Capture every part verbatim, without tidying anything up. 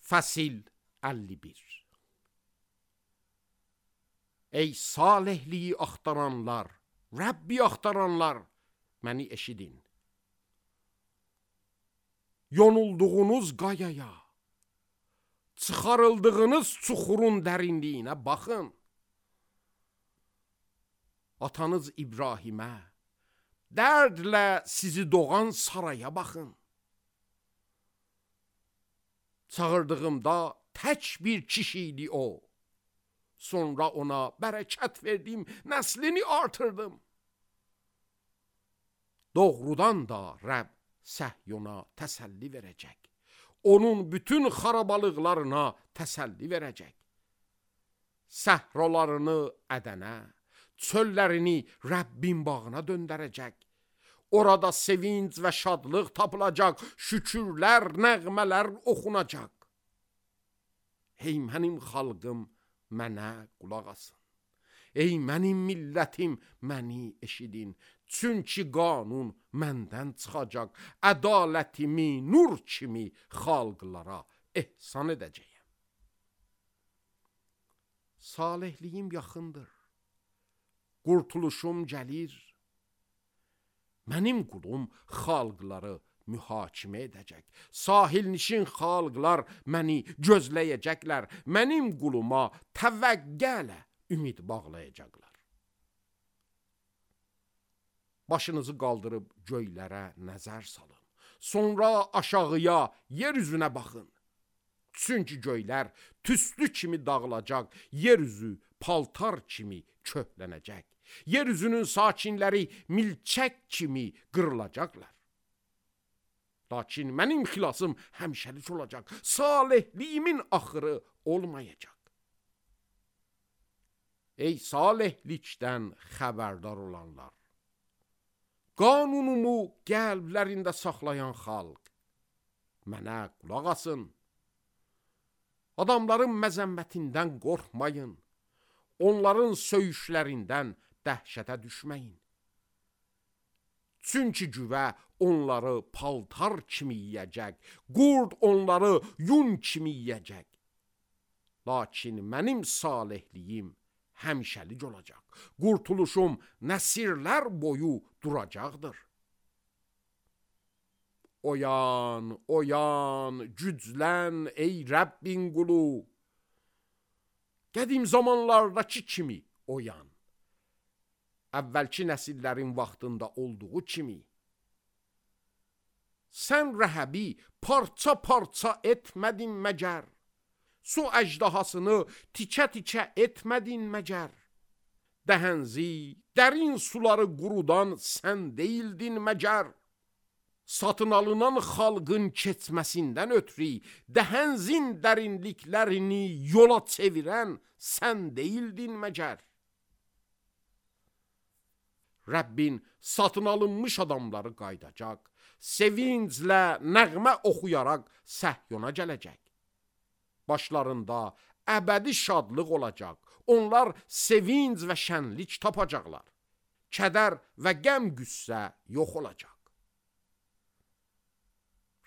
Fəsil əlli bir. Ey salihliyi axtaranlar, Rəbbi axtaranlar, məni eşidin. Yonulduğunuz qayaya, çıxarıldığınız çuxurun dərinliyinə baxın. Atanız İbrahimə, dərdlə sizi doğan saraya baxın. Çağırdığımda tək bir kişiydi o. Sonra ona bərəkət verdim, nəslini artırdım. Doğrudan da Rəbb Səhyona təsəlli verəcək. Onun bütün xarabalıqlarına təsəlli verəcək. Səhralarını Ədənə, çöllərini Rəbbin bağına döndərəcək. Orada sevinç və şadlıq tapılacaq, şükürlər, nəğmələr oxunacaq. Ey mənim xalqım, mənə qulaq asın. Ey mənim millətim, məni eşidin. Çünki qanun məndən çıxacaq. Ədalətimi nur kimi xalqlara ehsan edəcəyəm. Salihliyim yaxındır. Qurtuluşum gəlir. Mənim qulum xalqları mühakimə edəcək. Sahilnişin xalqlar məni gözləyəcəklər. Mənim quluma təvəqqələ ümid bağlayacaqlar. Başınızı qaldırıb göylərə nəzər salın. Sonra aşağıya, yer üzünə baxın. Çünki göylər tüstü kimi dağılacaq, yer üzü paltar kimi köhlənəcək. Yer üzünün sakinləri milçək kimi qırılacaqlar. Lakin mənim xilasım həmişəlik olacaq. Salihliyimin axırı olmayacaq. Ey salihlikdən xəbərdar olanlar, qanunumu qəlblərində saxlayan xalq, mənə qulaq asın. Adamların məzəmmətindən qorxmayın. Onların söyüşlərindən dəhşətə düşməyin. Çünki güvə onları paltar kimi yiyəcək, qurd onları yun kimi yiyəcək. Lakin mənim salihliyim həmişəlik olacaq. Qurtuluşum nəsillər boyu duracaqdır. Oyan, oyan, güclən ey Rəbbin qulu. Qədim zamanlardakı kimi oyan. Əvvəlki nəsillərin vaxtında olduğu kimi. Sən rəhəbi parça-parça etmədin məgər? Su əjdahasını tikə-tikə etmədin məgər? Dəhənzi, dərin suları qurudan sən deyildin məgər? Satın alınan xalqın keçməsindən ötürü dəhənzin dərinliklərini yola çevirən sən deyildin məgər? Rəbbin satın alınmış adamları qaydacaq, sevinclə nəğmə oxuyaraq Səhyona gələcək. Başlarında əbədi şadlıq olacaq, onlar sevinc və şənlik tapacaqlar. Kədər və qəm qüssə yox olacaq.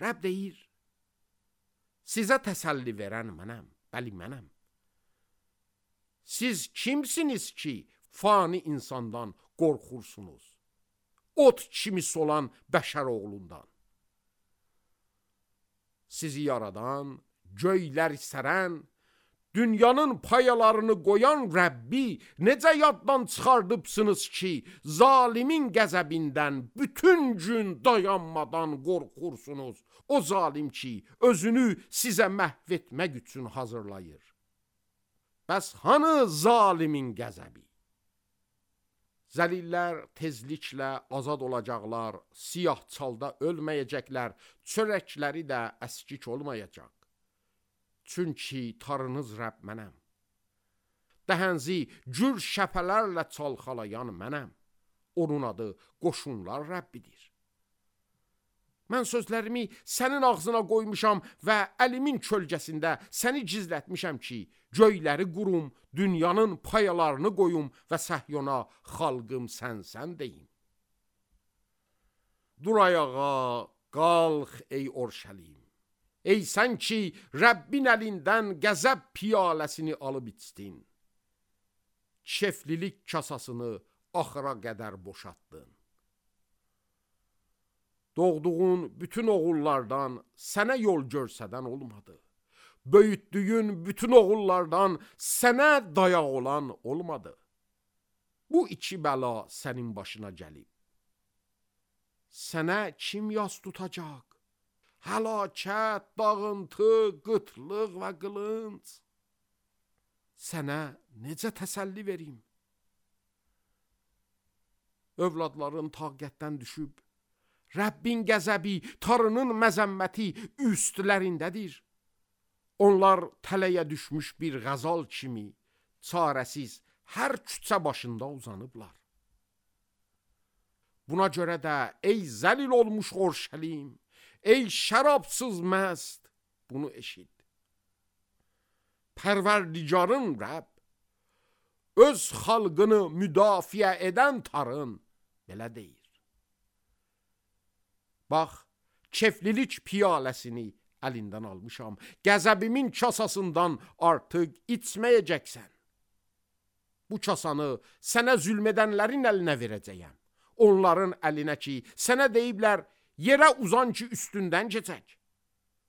Rəbb deyir, sizə təsəlli verən mənəm, bəli mənəm. Siz kimsiniz ki, fani insandan qorxursunuz? Ot kimi solan bəşər oğlundan. Sizi yaradan, göyləri sərən, dünyanın payalarını qoyan Rəbbi necə yaddan çıxardıbsınız ki, zalimin qəzəbindən bütün gün dayanmadan qorxursunuz. O zalim ki, özünü sizə məhv etmək üçün hazırlayır. Bəs hanı zalimin qəzəbi? Zəlillər tezliklə azad olacaqlar, siyah çalda ölməyəcəklər, çörəkləri də əskik olmayacaq. Çünki tarınız Rəbb mənəm. Dəhənzi gür şəpələrlə çalxalayan mənəm. Onun adı qoşunlar Rəbbidir. Mən sözlərimi sənin ağzına qoymuşam və əlimin kölgəsində səni gizlətmişəm ki, göyləri qurum, dünyanın payalarını qoyum və Səhyona xalqım sənsən deyim. Dur ayağa, qalx ey Orşəlim. Ey sən ki, Rəbbin əlindən qəzəb piyaləsini alıb içdin. Keflilik kasasını axıra qədər boşaltdın. Doğduğun bütün oğullardan sənə yol görsədən olmadı. Böyütdüyün bütün oğullardan sənə dayaq olan olmadı. Bu iki bəla sənin başına gəlib. Sənə kim yas tutacaq? Həlakət, dağıntı, qıtlıq və qılınc. Sənə necə təsəlli verim? Övladların taqətdən düşüb, Rəbbin qəzəbi, Tanrının məzəmməti üstlərindədir. Onlar tələyə düşmüş bir qəzal kimi, çarəsiz hər küçə başında uzanıblar. Buna görə də ey zəlil olmuş Orşəlim, ey şərabsız məst, bunu eşit. Pərverdigarın Rəbb, öz xalqını müdafiə edən Tanrın belə deyir. Bax, keflilik piyaləsini əlindən almışam, qəzəbimin kasasından artıq içməyəcəksən. Bu kasanı sənə zülmədənlərin əlinə verəcəyəm. Onların əlinə ki, sənə deyiblər, yerə uzan ki, üstündən keçək.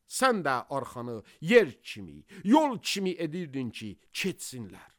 Sən də arxanı yer kimi, yol kimi edirdin ki, keçsinlər.